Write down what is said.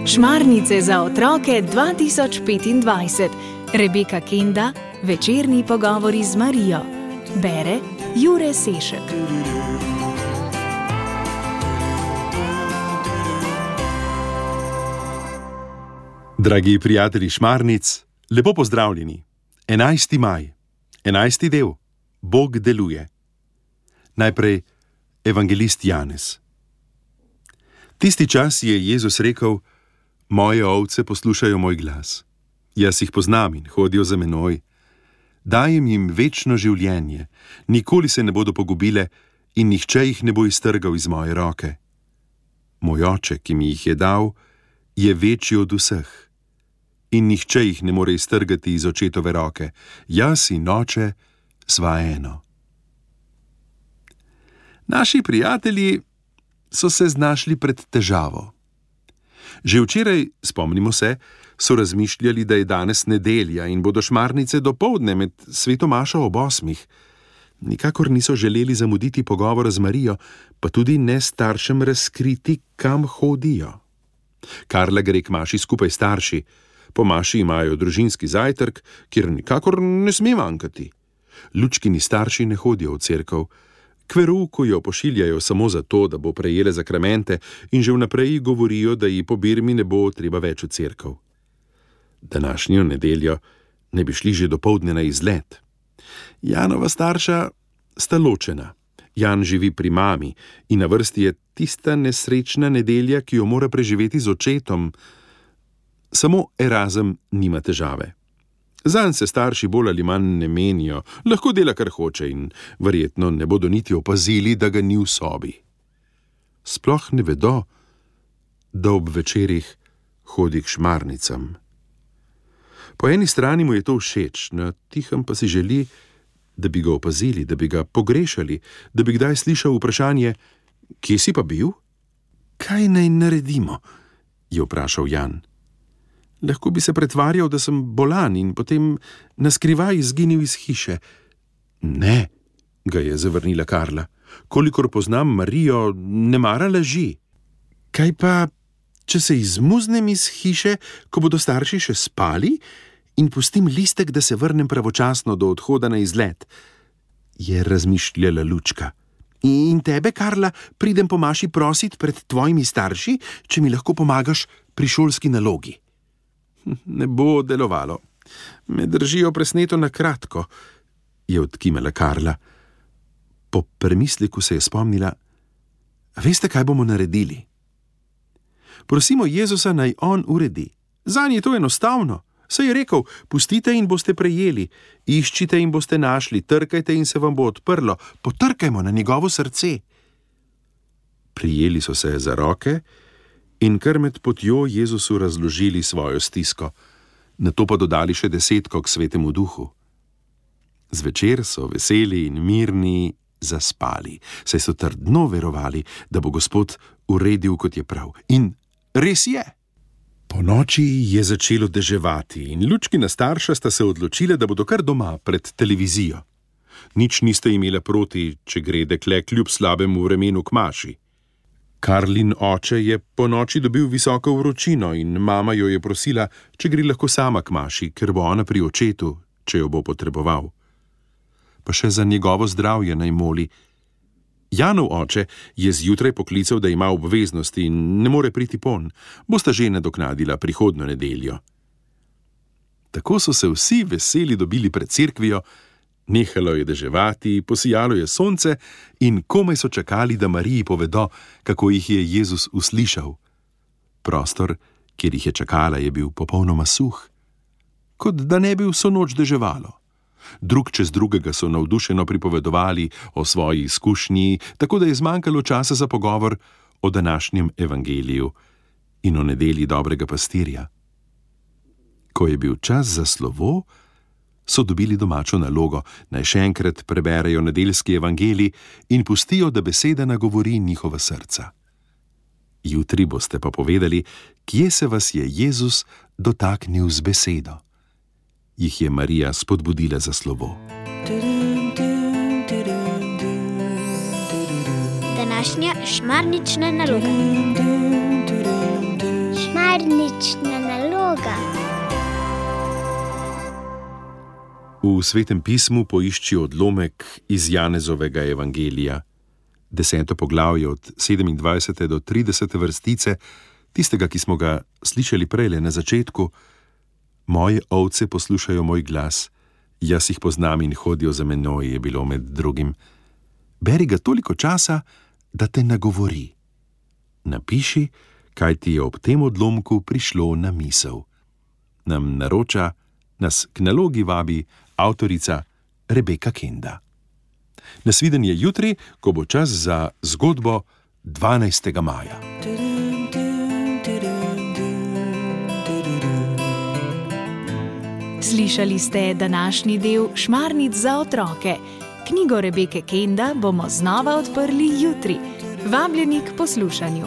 Šmarnice za otroke 2025. Rebeka Kenda, večerni pogovori z Marijo. Bere Jure Sešek. Dragi prijatelji Šmarnic, lepo pozdravljeni. 11. maj, 11. del. Bog deluje. Najprej evangelist Janez. Tisti čas je Jezus rekel: Moje ovce poslušajo moj glas. Jaz jih poznam in hodijo za menoj. Dajem jim večno življenje, nikoli se ne bodo pogubile in nihče jih ne bo iztrgal iz moje roke. Moj oče, ki mi jih je dal, je večji od vseh in nihče jih ne more iztrgati iz očetove roke. Jaz in oče sva eno. Naši prijatelji so se znašli pred težavo. Že včeraj, spomnimo se, so razmišljali, da je danes nedelja in bodo Šmarnice dopoldne med sveto mašo ob 8. Nikakor niso želeli zamuditi pogovora z Marijo, pa tudi ne staršem razkriti, kam hodijo. Karla gre k maši skupaj s starši. Po maši imajo družinski zajtrk, kjer nikakor ne sme manjkati. Lučkini starši ne hodijo v cerkev. K verouku jo pošiljajo samo zato, da bo prejela zakramente, in že vnaprej govorijo, da ji po birmi ne bo treba več v cerkev. Današnjo nedeljo ne bi šli že dopoldne na izlet. Janova starša sta ločena. Jan živi pri mami in na vrsti je tista nesrečna nedelja, ki jo mora preživeti z očetom. Samo Erazem nima težave. Zanj se starši bolj ali manj ne menijo, lahko dela kar hoče in verjetno ne bodo niti opazili, da ga ni v sobi. Sploh ne vedo, da ob večerih hodi k Šmarnicam. Po eni strani mu je to všeč, na tihem pa si želi, da bi ga opazili, da bi ga pogrešali, da bi kdaj slišal vprašanje: Kje si pa bil? Kaj naj naredimo? Je vprašal Jan. Lahko bi se pretvarjal, da sem bolan in potem naskrivaj izginil iz hiše. Ne, ga je zavrnila Karla. Kolikor poznam Marijo, ne mara laži. Kaj pa, če se izmuznem iz hiše, ko bodo starši še spali, in pustim listek, da se vrnem pravočasno do odhoda na izlet? Je razmišljala Lučka. In tebe, Karla, pridem po maši prosit pred tvojimi starši, če mi lahko pomagaš pri šolski nalogi. Ne bo delovalo. Me držijo presneto na kratko, je odkimala Karla. Po premisleku se je spomnila: Veste, kaj bomo naredili? Prosimo Jezusa, naj on uredi. Zanj je to enostavno. Saj je rekel: Pustite in boste prejeli, iščite in boste našli, trkajte in se vam bo odprlo, potrkajmo na njegovo srce. Prijeli so se za roke in kar med potjo Jezusu razložili svojo stisko, nato pa dodali še 10 k Svetemu Duhu. Zvečer so veseli in mirni zaspali, saj so trdno verovali, da bo Gospod uredil, kot je prav. In res je. Po noči je začelo deževati in Lučkina starša sta se odločila, da bodo kar doma pred televizijo. Nič niste imela proti, če gre dekle kljub slabemu vremenu k maši. Karlin oče je po noči dobil visoko vročino in mama jo je prosila, če gre lahko sama k maši, ker bo ona pri očetu, če jo bo potreboval. Pa še za njegovo zdravje naj moli. Janov oče je zjutraj poklical, da ima obveznosti in ne more priti pon. Bosta že nadoknadila prihodnjo nedeljo. Tako so se vsi veseli dobili pred cerkvijo, nehalo je deževati, posijalo je sonce in komaj so čakali, da Mariji povedo, kako jih je Jezus uslišal. Prostor, kjer jih je čakala, je bil popolnoma suh, kot da ne bi vso noč deževalo. Drug čez drugega so navdušeno pripovedovali o svoji izkušnji, tako da je zmanjkalo časa za pogovor o današnjem evangeliju in o nedelji dobrega pastirja. Ko je bil čas za slovo, so dobili domačo nalogo, naj še enkrat preberejo nedeljski evangelij in pustijo, da beseda nagovori njihova srca. Jutri boste pa povedali, kje se vas je Jezus dotaknil z besedo. Jih je Marija spodbudila za slovo. današnja šmarnična naloga. Šmarnična naloga. V Svetem pismu poišči odlomek iz Janezovega evangelija, 10. poglavje od 27. do 30. vrstice, tistega, ki smo ga slišali prejle na začetku. Moje ovce poslušajo moj glas, jaz jih poznam in hodijo za menoj, je bilo med drugim. Beri ga toliko časa, da te nagovori. Napiši, kaj ti je ob tem odlomku prišlo na misel. Nam naroča, nas k nalogi vabi avtorica Rebeka Kenda. Nasvidenje jutri, ko bo čas za zgodbo 12. maja. Slišali ste današnji del Šmarnic za otroke. Knjigo Rebeke Kenda bomo znova odprli jutri. Vabljeni k poslušanju.